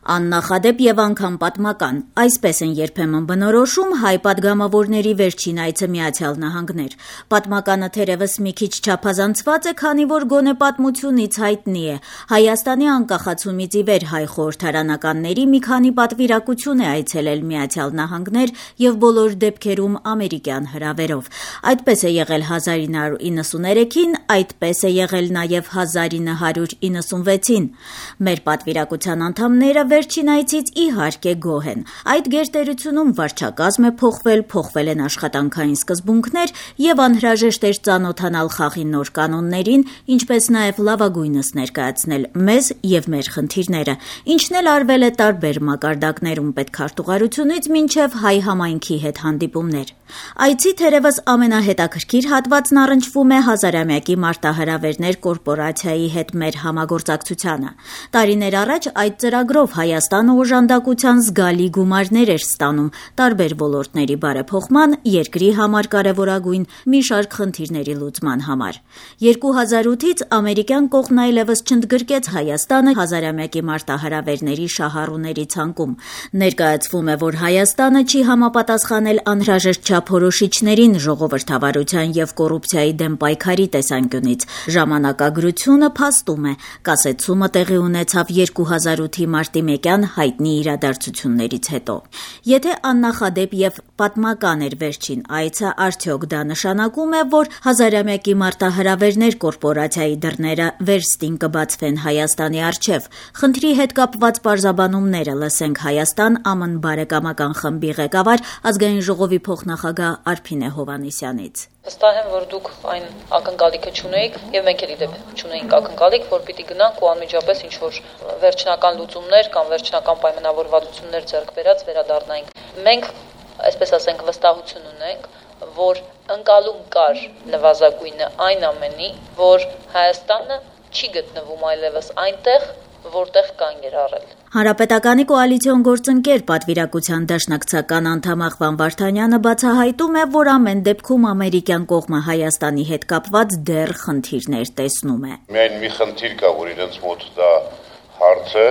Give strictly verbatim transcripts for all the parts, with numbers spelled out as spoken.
Աննախադեպ եւ անգամ պատմական, այսպես են երբեմն բնորոշում հայ պատգամավորների վերջին այցը Միացյալ Նահանգներ։ Պատմականը թերևս մի քիչ չափազանցված է, քանի որ գոնե պատմությունից հայտնի է։ Հայաստանի անկախացումից ի վեր հայ խորհրդարանականների մի քանի պատվիրակություն է այցելել Միացյալ Նահանգներ եւ բոլոր դեպքերում ամերիկյան հրավերով։ Այդպես է եղել հազար ինը հարյուր իննսուներեքին, այդպես է եղել նաեւ հազար ինը հարյուր իննսունվեցին։ Մեր պատվիրակության անդամները վերջին այցից իհարկե գոհ են։ Այդ գերտերությունում վարչակազմ է փոխվել, փոխվել են աշխատանքային սկզբունքներ եւ անհրաժեշտ էր ծանոթանալ խաղի նոր կանոններին, ինչպես նաեւ լավագույնս ներկայացնել մեզ եւ մեր խնդիրները, ինչն էլ արվել է տարբեր մակարդակներում պետքարտուղարությունից մինչեւ հայ համայնքի հետ հանդիպումներ։ Այցի թերևս ամենահետաքրքիր հատվածն առնչվում է հազարամյակի մարտահրավերներ կորպորացիայի հետ մեր համագործակցությանը։ Տարիներ առաջ այդ ծրագրով Հայաստանը օժանդակության զգալի գումարներ էր ստանում տարբեր ոլորտների բարեփոխման, երկրի համար կարևորագույն մի շարք խնդիրների լուծման համար։ երկու հազար ութից ամերիկյան կողմն այլևս չընդգրկեց Հայաստանը հազարամյակի մարտահրավերների շահառուների ցանկում։ Ներկայացվում է, որ Հայաստանը չի համապատասխանել անհրաժեշտ չափորոշիչներին ժողովրդավարության եւ կոռուպցիայի դեմ պայքարի տեսանկյունից։ Ժամանակագրությունը փաստում է, կասեցումը տեղի ունեցավ երկու հազար ութի մարտի մեկյան հայտնի իրադարձություններից հետո։ Եթե աննախադեպ եւ պատմական էր վերջին այցը, արդյոք դա նշանակում է, որ հազարամյակի մարտահրավերներ կորպորացիայի դռները վերստին կբացվեն Հայաստանի առջև։ Խնդրի հետ կապված պարզաբանումները լսենք Հայաստան ԱՄՆ բարեկամական խմբի ղեկավար ազգային ժողովի փոխնախագահ Արփինե Հովհաննիսյանից։ Վստահ եմ, որ դուք այն ակնկալիքը չունեիք եւ մենք էլ իդեպ չունեինք ակնկալիք, որ պիտի գնանք ու անմիջապես ինչ որ վերջնական լուծումներ կամ վերջնական պայմանավորվածություններ ձեռք բերած վերադառնայինք։ Մենք, այսպես ասենք, վստահություն ունենք, որ ընկալում կար նվազագույնը այն ամենի, որ Հայաստանը չի գտնվում այլևս այնտեղ, որտեղ կանգ էր առել։ Հանրապետականի կոալիցիոն գործընկեր պատվիրակության դաշնակցական անդամ Աղվան Վարդանյանը բացահայտում է, որ ամեն դեպքում ամերիկյան կողմը Հայաստանի հետ կապված դեռ խնդիրներ տեսնում է։ Միայն մի խնդիր կա, որ իրենց մոտ դա հարց է,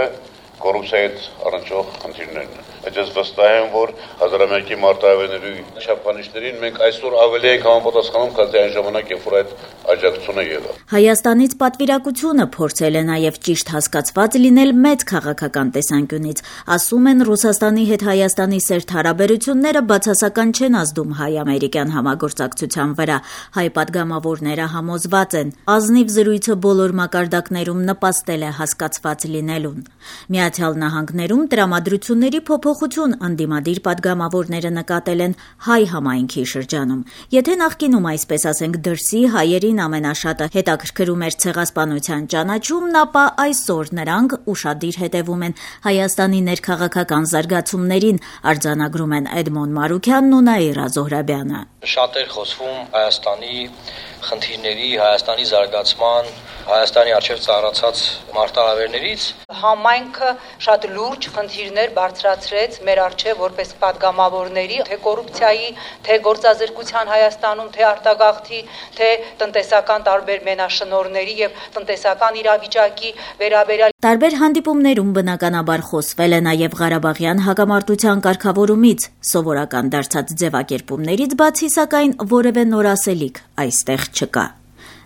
կոռուպցիայի հետ առնչվող խնդիրներն են։ Ես վստահ եմ, որ հազարամյակի մարտահրավերների չափանիշներին մենք այսօր ավելի ենք համապատասխանում, քան այն ժամանակ, երբ որ այդ աջակցությունը եղավ։ Հայաստանից պատվիրակությունը փորձել է նաև ճիշտ հասկացված լինել մեծ քաղաքական տեսանկյունից։ Ասում են, Ռուսաստանի հետ Հայաստանի սերտ հարաբերությունները բացասական չեն ազդում հայ-ամերիկյան համագործակցության վրա։ Հայ պատգամավորները համոզված են, ազնիվ զրույցը բոլոր մակարդակներում նպաստել է հասկացված լինելուն։ Միացյալ Նահանգներում տրամադրությունների փոփոխություն ընդդիմադիր պատգամավորները նկատել են հայ համայնքի շրջանում։ Եթե նախկինում, այսպես ասենք, դրսի հայերին ամենաշատը հետաքրքրում էր ցեղասպանության ճանաչումն, ապա այսօր նրանք ուշադիր հետևում են Հայաստանի ներքաղաքական զարգացումներին, արձանագրում են Էդմոն Մարուքյանն ու Նաիրա Զոհրաբյանը։ Շատ էր խոսվում Հայաստանի խնդիրների, Հայաստանի զարգացման, Հայաստանի առջև ծառացած մարտահրավերներից։ Համայնքը շատ լուրջ խնդիրներ բարձրացրեց մեր առջև որպես պատգամավորների, թե կոռուպցիայի, թե գործազրկության Հայաստանում, թե արտագաղթի, թե տնտեսական տարբեր մենաշնորհների եւ տնտեսական իրավիճակի վերաբերյալ։ Տարբեր հանդիպումներում բնականաբար խոսվել է նաև Ղարաբաղյան հակամարտության կարգավորումից, սովորական դարձած ձևակերպումներից բացի, սակայն որևէ նոր ասելիք այստեղ չկա։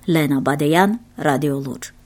Լենա Բադեյան, Ռադիոլուր։